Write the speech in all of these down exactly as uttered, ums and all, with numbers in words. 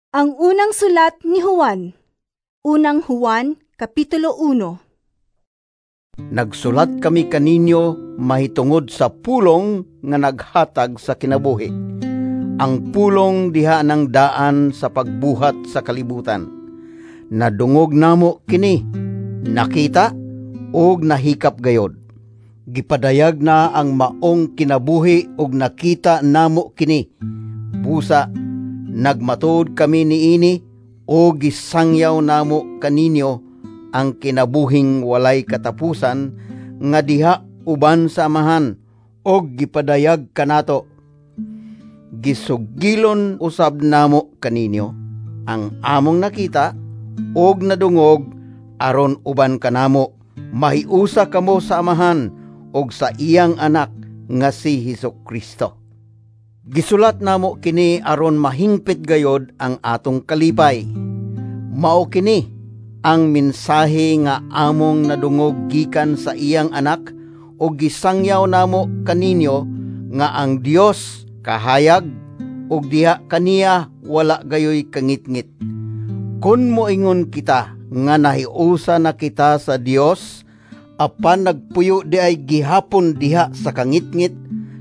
Ang unang sulat ni Juan. Unang Juan, Kapitulo uno. Nagsulat kami kaninyo mahitungod sa pulong nga naghatag sa kinabuhi. Ang pulong diha ng daan sa pagbuhat sa kalibutan. Nadungog namo kini, nakita ug nahikap gayod. Gipadayag na ang maong kinabuhi ug nakita namo kini. Busa nagmatuod kami niini ug gisangyaw namo kaninyo ang kinabuhing walay katapusan nga diha uban sa Amahan ug gipadayag kanato. Gisugilon usab namo kaninyo ang among nakita ug nadungog aron uban kanamo mahiusa kamo sa Amahan ug sa iyang anak nga si Hesus Kristo. Gisulat namo kini aron mahingpit gayod ang atong kalipay. Mao kini ang mensahe nga among nadungog gikan sa iyang anak ug gisangyaw namo kaninyo nga ang Dios kahayag ug diha kaniya wala gayoy kangitngit. Kun moingon kita nga nahiusa na kita sa Dios apan nagpuyo di ay gihapon diha sa kangitngit,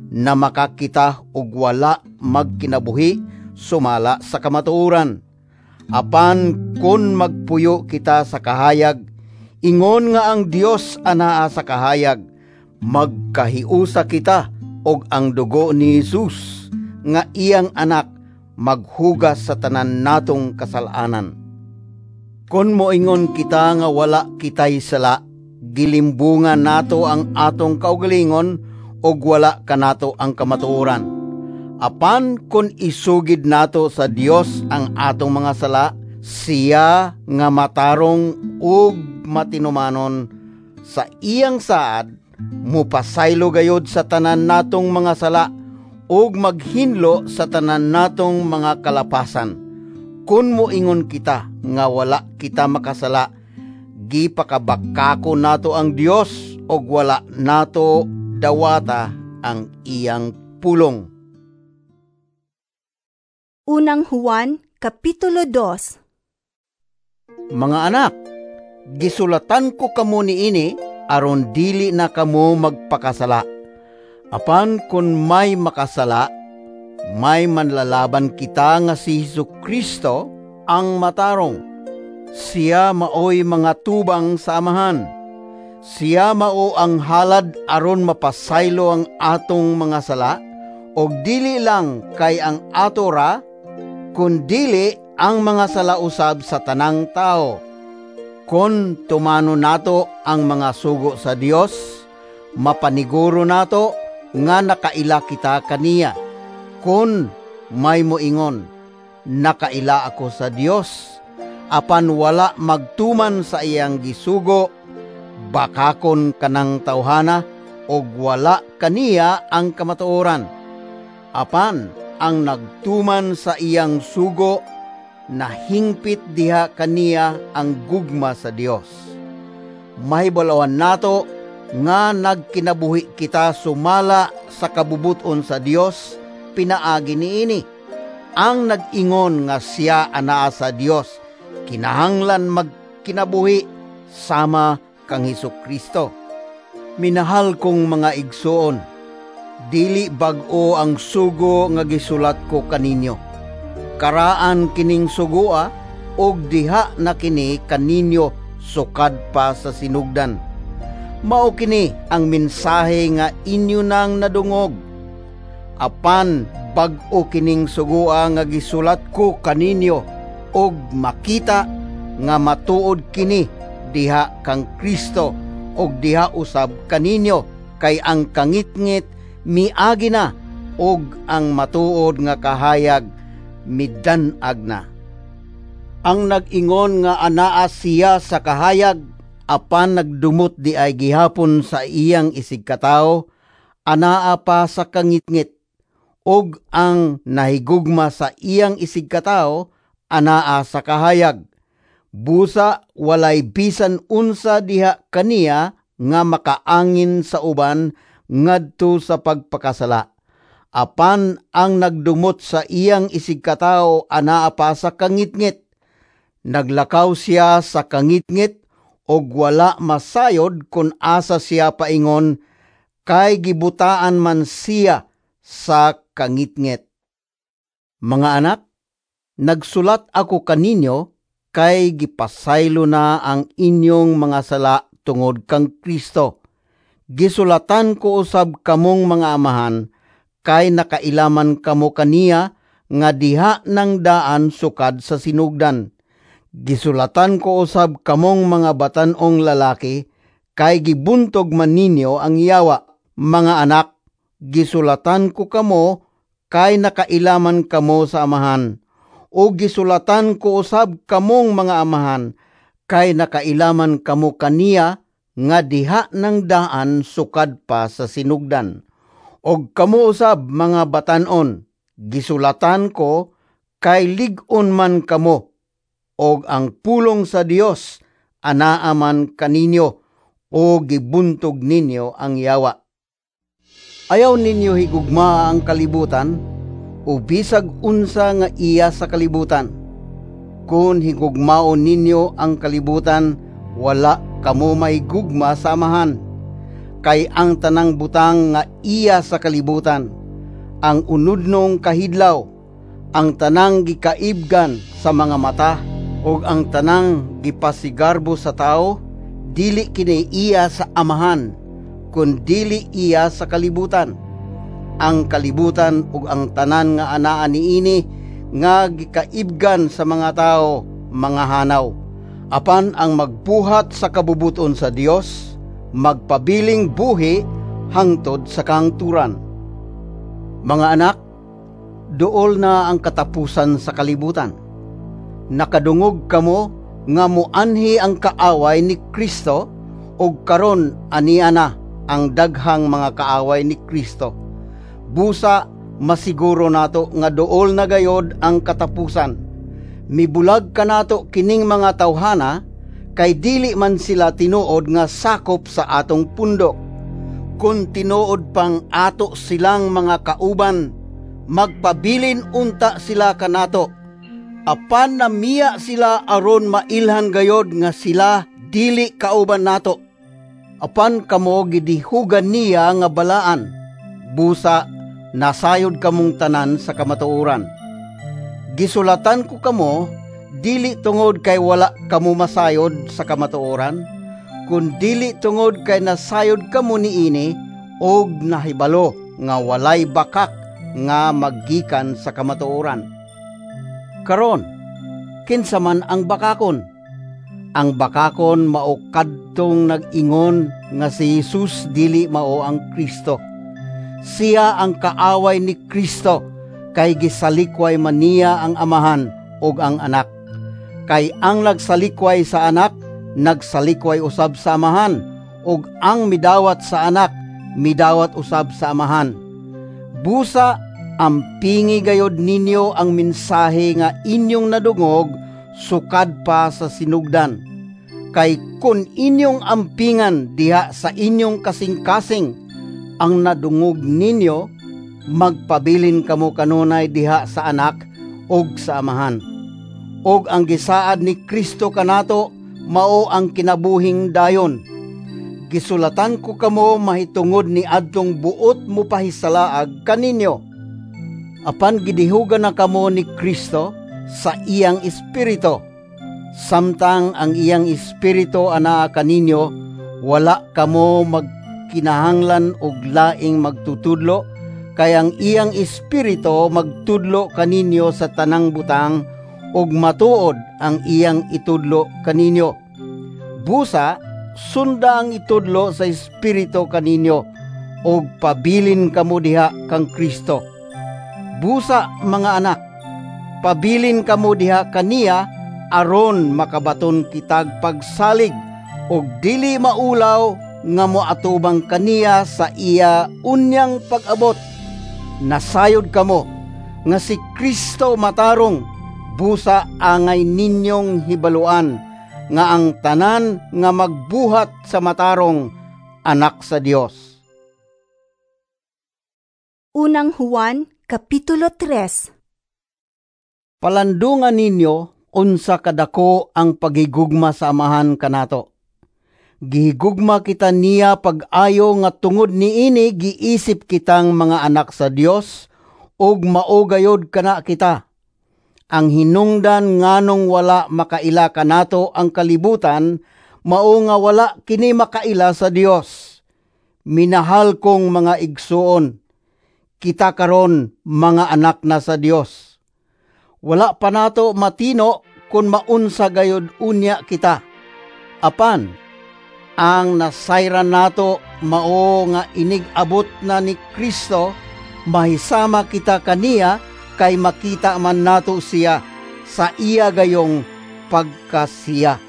na makakita og wala magkinabuhi sumala sa kamatuoran. Apan kun magpuyo kita sa kahayag, ingon nga ang Dios anaa sa kahayag, magkahiusa kita og ang dugo ni Jesus nga iyang anak maghugas sa tanan natong kasalanan. Kun moingon kita nga wala kitay sala, gilimbungan nato ang atong kaugalingon og wala kanato ang kamatuoran. Apan kun isugid nato sa Dios ang atong mga sala, siya nga matarong ug matinumanon sa iyang saad, mupasaylo gayod sa tanan natong mga sala ug maghinlo sa tanan natong mga kalapasan. Kun moingon kita nga wala kita makasala, gipakabakako nato ang Dios ug wala nato dawata ang iyang pulong. Unang Juan, Kapitulo dos. Mga anak, gisulatan ko kamo niini aron dili na kamo magpakasala. Apan kun may makasala, may manlalaban kita nga si Hesus Kristo ang matarong. Siya maoy mga tubang sa Amahan. Siya mao ang halad aron mapasaylo ang atong mga sala, og dili lang kay ang ato ra, kundili ang mga sala usab sa tanang tao. Kon tumano nato ang mga sugo sa Dios, mapaniguro nato nga nakaila kita kaniya. Kon may moingon, nakaila ako sa Dios, apan wala magtuman sa iyang gisugo, bakakon kanang tawhana og wala kaniya ang kamatuoran. Apan ang nagtuman sa iyang sugo, nahingpit diha kaniya ang gugma sa Dios. Mahibalawan nato nga nagkinabuhi kita sumala sa kabubuton sa Dios pinaagi niini. Ang nag-ingon nga siya anaa sa Dios, kinahanglan magkinabuhi sama kang Hesus Kristo. Minahal kong mga igsoon, dili bag-o ang sugo nga gisulat ko kaninyo. Karaan kining sugoa og diha na kini kaninyo sukad pa sa sinugdan. Mao kini ang mensahe nga inyo nang nadungog. Apan bag-o kining sugoa nga gisulat ko kaninyo og makita nga matuod kini diha kang Kristo og diha usab kaninyo, kay ang kangitngit miagi na og ang matuod nga kahayag midan-ag na. Ang nag-ingon nga anaa siya sa kahayag apan nagdumot di ay gihapon sa iyang isigkatawo, anaa pa sa kangitngit, og ang nahigugma sa iyang isigkatawo anaa sa kahayag. Busa walay bisan unsa diha kaniya nga makaangin sa uban ngadto sa pagpakasala. Apan ang nagdumot sa iyang isigkatawo anaa pa sa kangitngit. Naglakaw siya sa kangitngit og wala masayod kon asa siya paingon, kay gibutaan man siya sa kangitngit. Mga anak, nagsulat ako kaninyo kay gipasaylo na ang inyong mga sala tungod kang Kristo. Gisulatan ko usab kamong mga amahan, kay nakailaman kamo kaniya nga diha nang daan sukad sa sinugdan. Gisulatan ko usab kamong mga batan-ong lalaki, kay gibuntog man ninyo ang yawa. Mga anak, gisulatan ko kamo kay nakailaman kamo sa Amahan. O gisulatan ko usab kamong mga amahan, kay nakailaman kamo kaniya nga diha nang daan sukad pa sa sinugdan. Og kamo usab mga batan-on, gisulatan ko kay lig-on man kamo, og ang pulong sa Dios anaa man kaninyo, o gibuntog ninyo ang yawa. Ayaw ninyo higugmaa ang kalibutan, o bisag unsa nga iya sa kalibutan. Kun higugmaon ninyo ang kalibutan, wala kamo mahigugma sa Amahan. Kay ang tanang butang nga iya sa kalibutan, ang unudnong kahidlaw, ang tanang gikaibgan sa mga mata, ug ang tanang gipasigarbo sa tao, dili kini iya sa Amahan, kun dili iya sa kalibutan. Ang kalibutan ug ang tanan nga anaa niini nga gikaibgan sa mga tao, mga hanaw. Apan ang magbuhat sa kabubuton sa Dios, magpabiling buhi hangtod sa kangturan. Mga anak, duol na ang katapusan sa kalibutan. Nakadungog kamo nga moanhi ang kaaway ni Kristo, ug karon ania na ang daghang mga kaaway ni Kristo. Busa masiguro nato nga duol na gayod ang katapusan. Mibulag kanato kining mga tawhana, kay dili man sila tinuod nga sakop sa atong pundok. Kun tinuod pang ato silang mga kauban, magpabilin unta sila kanato. Apan namiya sila aron mailhan gayod nga sila dili kauban nato. Apan kamo gidihugan niya nga balaan, busa nasayod kamong tanan sa kamatuoran. Gisulatan ko kamo, dili tungod kay wala kamo masayod sa kamatuoran, kun dili tungod kay nasayod kamo niini og nahibalo nga walay bakak nga maggikan sa kamatuoran. Karon, kinsa man ang bakakon? Ang bakakon mao kadtong nag-ingon nga si Jesus dili mao ang Kristo. Siya ang kaaway ni Kristo, kay gisalikway man niya ang Amahan ug ang Anak. Kay ang nagsalikway sa Anak, nagsalikway usab sa Amahan, ug ang midawat sa Anak, midawat usab sa Amahan. Busa, ampingi gayod ninyo ang mensahe nga inyong nadungog sukad pa sa sinugdan. Kay kun inyong ampingan diha sa inyong kasing-kasing ang nadungog ninyo, magpabilin kamo kanunay diha sa Anak ug sa Amahan. Og ang gisaad ni Kristo kanato mao ang kinabuhing dayon. Gisulatan ko kamo mahitungod ni adtong buot mo pahisalaag kaninyo. Apan gidihugan na kamo ni Kristo sa iyang espiritu. Samtang ang iyang espiritu anaa kaninyo, wala kamo magkinahanglan og laing magtutudlo, kay ang iyang espiritu magtudlo kaninyo sa tanang butang ug matuod ang iyang itudlo kaninyo. Busa, sunda ang itudlo sa espiritu kaninyo ug pabilin kamo diha kang Kristo. Busa, mga anak, pabilin kamo diha kaniya aron makabaton kitag pagsalig ug dili maulaw nga moatubang kaniya sa iya unyang pag-abot. Nasayod kamo nga si Kristo matarong, busa angay ninyong hibaluan nga ang tanan nga magbuhat sa matarong anak sa Dios. Unang Juan, Kapitulo tres. Palandungan ninyo unsa kadako ang paghigugma sa Amahan kanato. Gihigugma kita niya pag-ayo nga tungod niini giisip kitang mga anak sa Dios ug mao gayod kana kita. Ang hinungdan nganong wala makaila kanato ang kalibutan mao nga wala kini makaila sa Dios. Minahal kong mga igsuon, kita karon mga anak na sa Dios. Wala pa nato matino kung maunsa gayod unya kita. Apan, ang nasayran nato mao nga inig-abot na ni Kristo, mahisama kita kaniya kay makita man nato siya sa iya gayong pagkasiya.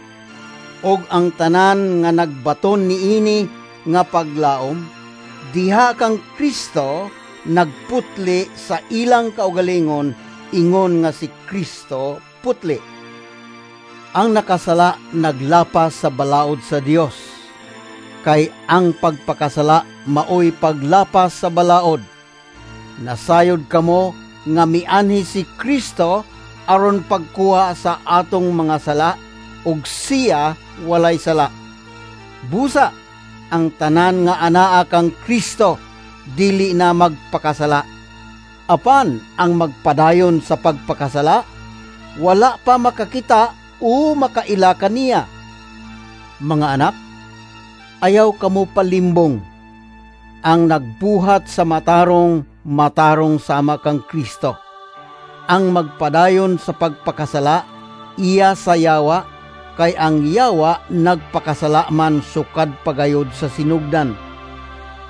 Og ang tanan nga nagbaton niini nga paglaom, diha kang Kristo nagputli sa ilang kaugalingon, ingon nga si Kristo putli. Ang nakasala naglapas sa balaod sa Dios, kay ang pagpakasala maoy paglapas sa balaod. Nasayod kamo nga mianhi si Kristo aron pagkuha sa atong mga sala, ug siya walay sala. Busa ang tanan nga anaa kang Kristo dili na magpakasala. Apan ang magpadayon sa pagpakasala, wala pa makakita o makaila kaniya. Mga anak, ayaw kamo palimbong. Ang nagbuhat sa matarong, matarong sama kang Kristo. Ang magpadayon sa pagpakasala, iya sa yawa, kay ang yawa nagpakasala man sukad pagayod sa sinugdan.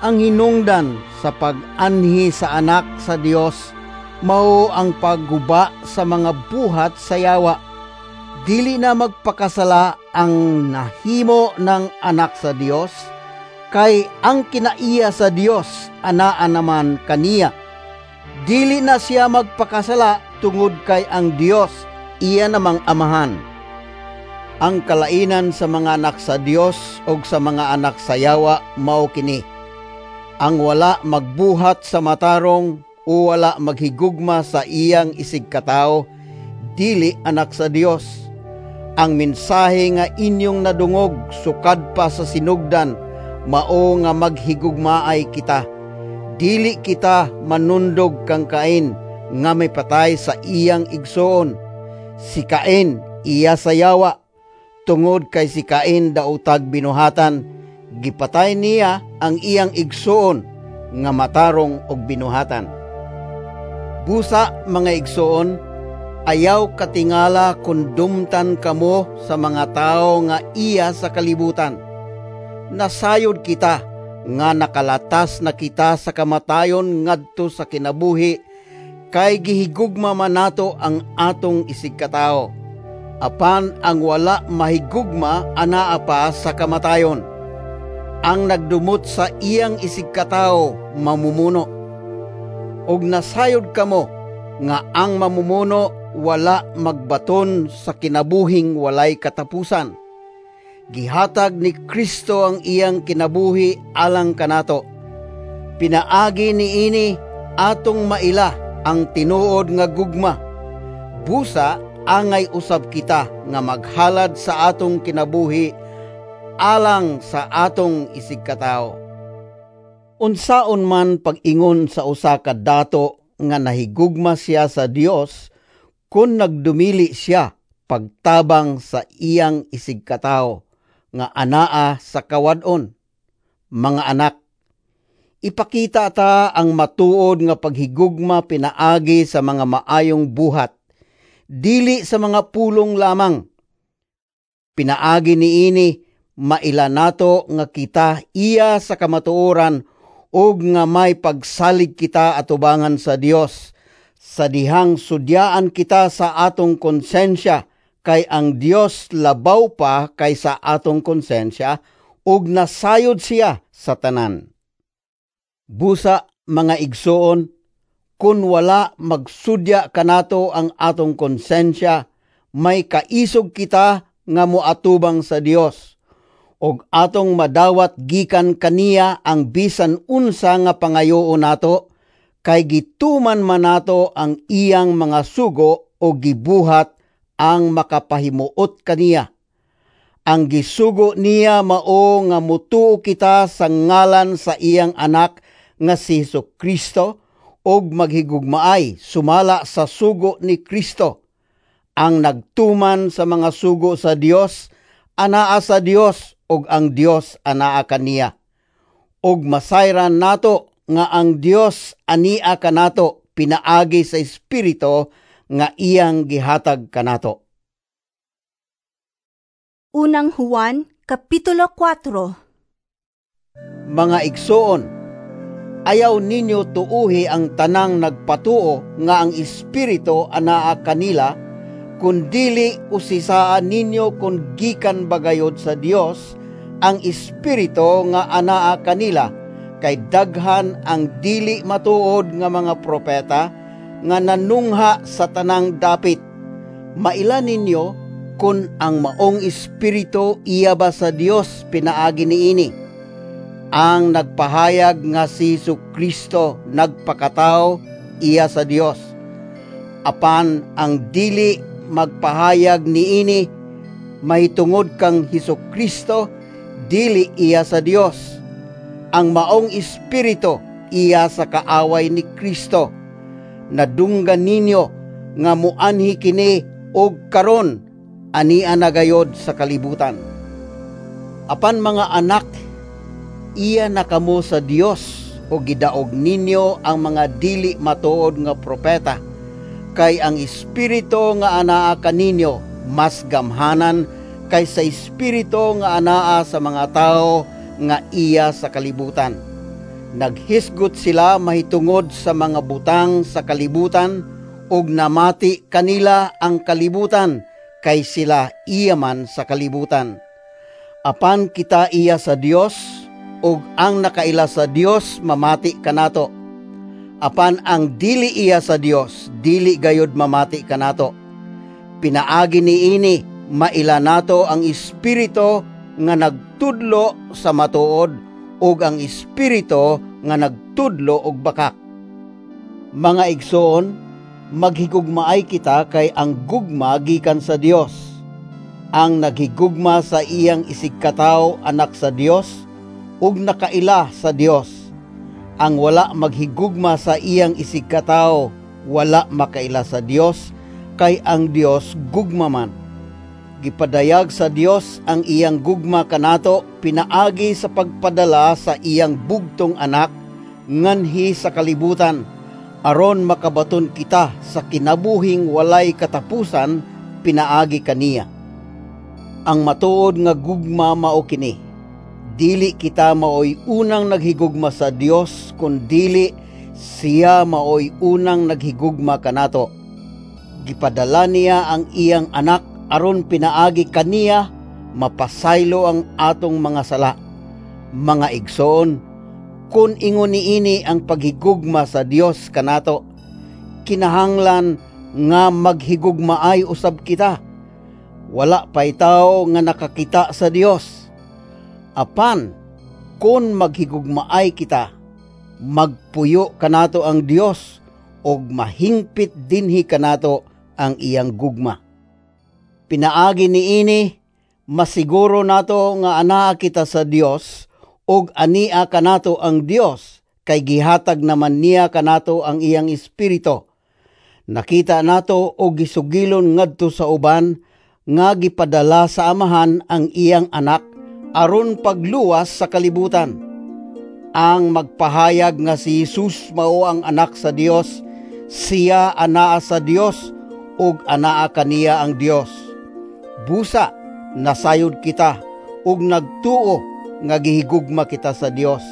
Ang hinungdan sa pag-anhi sa anak sa Dios mao ang pagguba sa mga buhat sa yawa. Dili na magpakasala ang nahimo ng anak sa Dios, kay ang kinaiya sa Dios anaa naman kaniya. Dili na siya magpakasala tungod kay ang Dios iya namang amahan. Ang kalainan sa mga anak sa Dios og sa mga anak sa yawa mao kini: ang wala magbuhat sa matarong o wala maghigugma sa iyang isigkatao, dili anak sa Dios. Ang mensahe nga inyong nadungog sukad pa sa sinugdan, mao nga maghigugmaay kita. Dili kita manundog kang Cain nga may patay sa iyang igsoon. Si Cain iya sa yawa, tungod kay si Cain daotag binuhatan, gipatay niya ang iyang igsoon nga matarong og binuhatan. Busa mga igsoon, ayaw katingala kun dumtan kamo sa mga tawo nga iya sa kalibutan. Nasayod kita nga nakalatas na kita sa kamatayon ngadto sa kinabuhi, kay gihigugma man nato ang atong isigkatawo. Apan ang wala mahigugma anaa pa sa kamatayon. Ang nagdumot sa iyang isigkatao mamumuno. Og nasayod kamo nga ang mamumuno wala magbaton sa kinabuhing walay katapusan. Gihatag ni Kristo ang iyang kinabuhi alang kanato. Pinaagi niini atong maila ang tinuod nga gugma. Busa angay usab kita nga maghalad sa atong kinabuhi alang sa atong isigkatao. Unsaon man pag-ingon sa usa ka dato nga nahigugma siya sa Dios kun nagdumili siya pagtabang sa iyang isigkatao nga anaa sa kawad-on. Mga anak, ipakita ta ang matuod nga paghigugma pinaagi sa mga maayong buhat, dili sa mga pulong lamang. Pinaagi niini maila nato nga kita iya sa kamatuoran ug nga may pagsalig kita atubangan sa Dios, sa dihang sudyaan kita sa atong konsensya, kay ang Dios labaw pa kaysa atong konsensya ug nasayod siya sa tanan. Busa mga igsoon, kun wala magsudya kanato ang atong konsensya, may kaisog kita nga moatubang sa Dios, og atong madawat gikan kaniya ang bisan unsa nga pangayoon nato, kay gituman man nato ang iyang mga sugo o gibuhat ang makapahimuot kaniya. Ang gisugo niya mao nga mutuo kita sa ngalan sa iyang anak nga si Jesu Kristo ug maghigugmaay sumala sa sugo ni Kristo. Ang nagtuman sa mga sugo sa Dios anaa sa Dios ug ang Dios anaa kaniya. Ug masayran nato nga ang Dios ania kanato pinaagi sa Espiritu nga iyang gihatag kanato. Unang Juan, Kapitulo kwatro. Mga igsoon, ayaw ninyo tuuhi ang tanang nagpatuo nga ang Espiritu anaa kanila, kun dili usisaan ninyo kung gikan bagayod sa Dios ang Espiritu nga anaa kanila, kay daghan ang dili matuod nga mga propeta nga nanungha sa tanang dapit. Maila ninyo kun ang maong espiritu iya ba sa Dios pinaagi niini. Ang nagpahayag nga si Kristo nagpakatao iya sa Dios. Apan ang dili magpahayag niini mahitungod kang Hesus Kristo, dili iya sa Dios. Ang maong espiritu iya sa kaaway ni Kristo. Nadunggan ninyo nga muanhi kini og karon ania na gayod sa kalibutan. Apan mga anak, iya na kamo sa Dios o gidaog ninyo ang mga dili matuod nga propeta, kay ang espiritu nga anaa kaninyo mas gamhanan kaysa espiritu nga anaa sa mga tawo nga iya sa kalibutan. Naghisgot sila mahitungod sa mga butang sa kalibutan ug namati kanila ang kalibutan kay sila iya man sa kalibutan. Apan kita iya sa Dios ug ang nakaila sa Dios mamati kanato. Apan ang dili iya sa Dios dili gayod mamati kanato. Pinaagi niini maila nato ang espiritu nga nagtudlo sa matuod ug ang espiritu nga nagtudlo og bakak. Mga igsoon, maghigugmaay kita kay ang gugma gikan sa Dios. Ang naghigugma sa iyang isigkatawo anak sa Dios ug nakaila sa Dios. Ang wala maghigugma sa iyang isigkatawo wala makaila sa Dios kay ang Dios gugma man. Gipadayag sa Dios ang iyang gugma kanato pinaagi sa pagpadala sa iyang bugtong anak nganhi sa kalibutan aron makabaton kita sa kinabuhing walay katapusan pinaagi kaniya. Ang matuod nga gugma mao kini: Dili kita maoy unang naghigugma sa Dios, kun dili siya maoy unang naghigugma kanato. Gipadala niya ang iyang anak aron pinaagi kaniya mapasaylo ang atong mga sala. Mga igsoon, kun ingon niini ang paghigugma sa Dios kanato, kinahanglan nga maghigugmaay usab kita. Wala pay tawo nga nakakita sa Dios. Apan kun maghigugmaay kita, magpuyo kanato ang Dios ug mahingpit dinhi kanato ang iyang gugma. Pinaagi niini masiguro nato nga anaa kita sa Dios ug ania kanato ang Dios kay gihatag naman niya kanato ang iyang Espiritu. Nakita nato og gisugilon ngadto sa uban nga gipadala sa Amahan ang iyang anak aron pagluwas sa kalibutan. Ang magpahayag nga si Jesus mao ang anak sa Dios, siya anaa sa Dios ug anaa kaniya ang Dios. Busa nasayod kita ug nagtuo nga gihigugma kita sa Dios.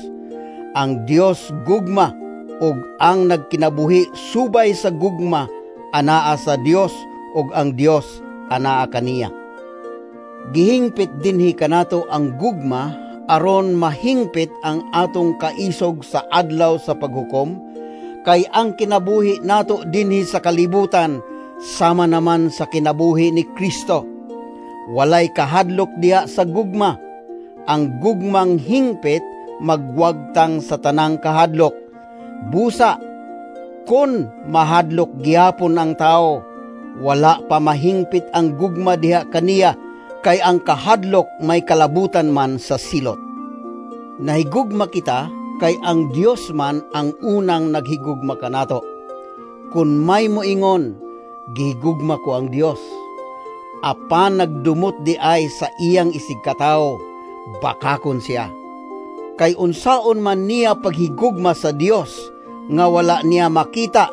Ang Dios gugma ug ang nagkinabuhi subay sa gugma anaa sa Dios ug ang Dios anaa kaniya. Gihingpit dinhi kanato ang gugma aron mahingpit ang atong kaisog sa adlaw sa paghukom, kay ang kinabuhi nato dinhi sa kalibutan sama naman sa kinabuhi ni Kristo. Walay kahadlok diha sa gugma. Ang gugmang hingpit magwagtang sa tanang kahadlok. Busa, Kon mahadlok gihapon ang tawo, wala pa mahingpit ang gugma diha kaniya, kay ang kahadlok may kalabutan man sa silot. Nahigugma kita kay ang Dios man ang unang naghigugma kanato. Kun may moingon, "Gihigugma ko ang Dios," apan nagdumot diay sa iyang isigkatawo, bakakon siya. Kay unsaon man niya paghigugma sa Dios nga wala niya makita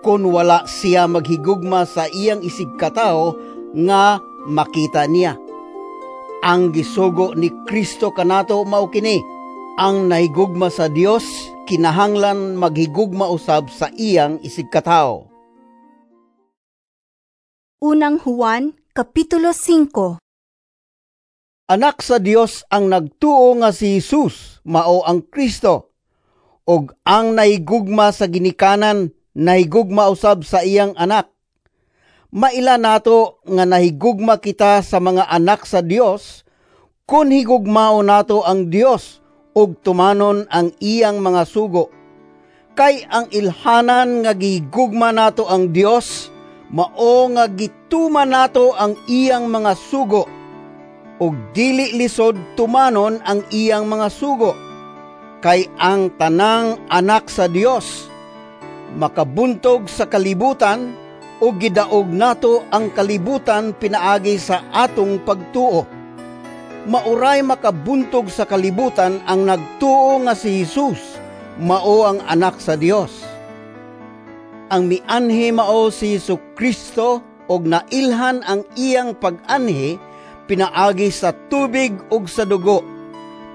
kon wala siya maghigugma sa iyang isigkatawo nga makita niya? Ang gisugo ni Kristo kanato mao kini: ang nahigugma sa Dios kinahanglan maghigugma usab sa iyang isigkatawo. Unang Juan, Kapitulo singko. Anak sa Dios ang nagtuo nga si Jesus mao ang Kristo, ug ang nahigugma sa ginikanan nahigugma usab sa iyang anak. Maila nato nga nahigugma kita sa mga anak sa Dios kun higugmaon nato ang Dios ug tumanon ang iyang mga sugo. Kay ang ilhanan nga gihigugma nato ang Dios mao nga gituman nato ang iyang mga sugo, ug dili lisod tumanon ang iyang mga sugo. Kay ang tanang anak sa Dios makabuntog sa kalibutan, ug gidaog nato ang kalibutan pinaagi sa atong pagtuo. Mauray makabuntog sa kalibutan ang nagtuo nga si Jesus mao ang anak sa Dios. Ang mianhi mao si Jesu-Cristo ug nailhan ang iyang pag-anhi pinaagi sa tubig ug sa dugo.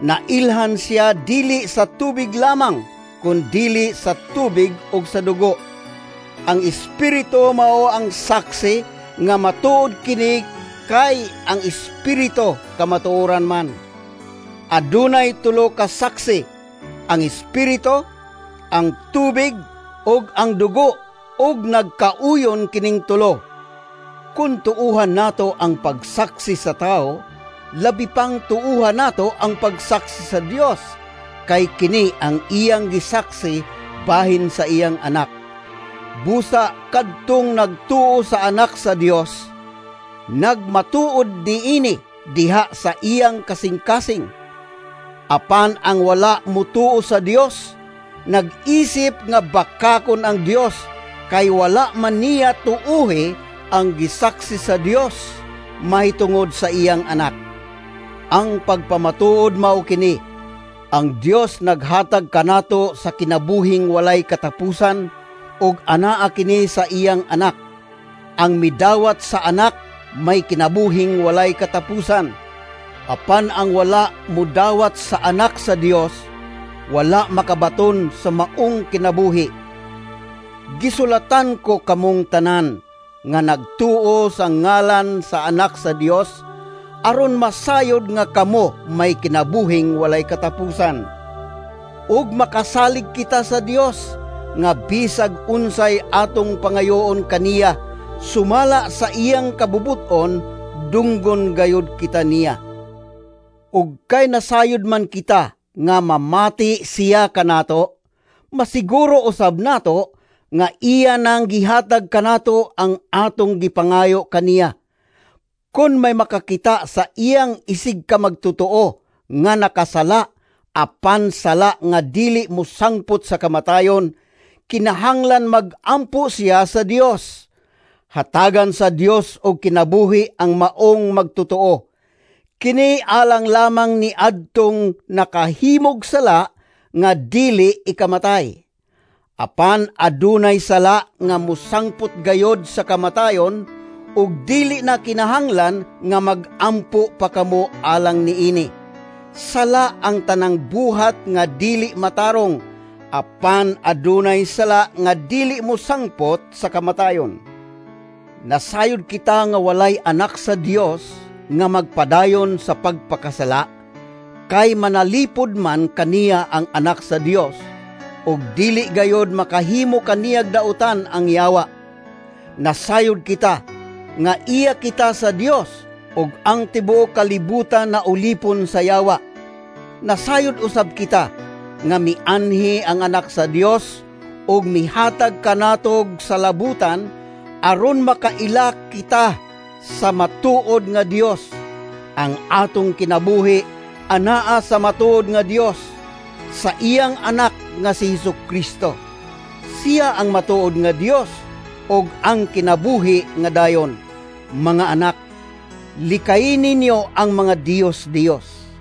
Nailhan siya dili sa tubig lamang, kun dili sa tubig ug sa dugo. Ang Espiritu mao ang saksi nga matuod kini, kay ang Espiritu kamatuoran man. Adunay tulo ka saksi: ang Espiritu, ang tubig, ug ang dugo, ug nagkauyon kining tulo. Kun tuuhan nato ang pagsaksi sa tao, labi pang tuuhan nato ang pagsaksi sa Dios, kay kini ang iyang gisaksi bahin sa iyang anak. Busa kadtong nagtuo sa anak sa Dios, nagmatuod niini diha sa iyang kasing-kasing. Apan ang wala mutuo sa Dios, nag-isip nga bakakon ang Dios, kay wala man niya tuuhi ang gisaksi sa Dios mahitungod sa iyang anak. Ang pagpamatuod mao kini: ang Dios naghatag kanato sa kinabuhing walay katapusan, ug anaa kini sa iyang anak. Ang midawat sa anak may kinabuhing walay katapusan. Apan ang wala mudawat sa anak sa Dios, wala makabaton sa maong kinabuhi. Gisulatan ko kamong tanan nga nagtuo sa ngalan sa anak sa Dios, aron masayod nga kamo may kinabuhing walay katapusan. Ug makasalig kita sa Dios nga bisag unsay atong pangayoon kaniya sumala sa iyang kabubuton, dunggon gayud kita niya. Ug kay nasayod man kita nga mamati siya kanato, masiguro usab nato nga iya nang gihatag kanato ang atong gipangayo kaniya. Kon may makakita sa iyang isig ka magtotoo nga nakasala, apan sala nga dili mosangpot sa kamatayon, kinahanglan mag-ampo siya sa Dios. Hatagan sa Dios og kinabuhi ang maong magtotoo. Kini alang lamang ni adtong nakahimog sala nga dili ikamatay. Apan adunay sala nga mosangpot gayod sa kamatayon, ug dili na kinahanglan nga mag-ampo pa kamo alang niini. Sala ang tanang buhat nga dili matarong, apan adunay sala nga dili mosangpot sa kamatayon. Nasayod kita nga walay anak sa Dios nga magpadayon sa pagpakasala, kay manalipod man kaniya ang anak sa Dios, ug dili gayod makahimo kaniyag dautan ang yawa. Nasayod kita nga iya kita sa Dios, ug ang tibuok kalibutan na ulipon sa yawa. Nasayod usab kita nga mianhi ang anak sa Dios Ug mihatag kanatog sa labutan aron makaila kita sa matuod nga Dios. Ang atong kinabuhi anaa sa matuod nga Dios, sa iyang Anak nga si Hesus Kristo. Siya ang matuod nga Dios ug ang kinabuhi nga dayon. Mga anak, likayi ninyo ang mga diyos-diyos.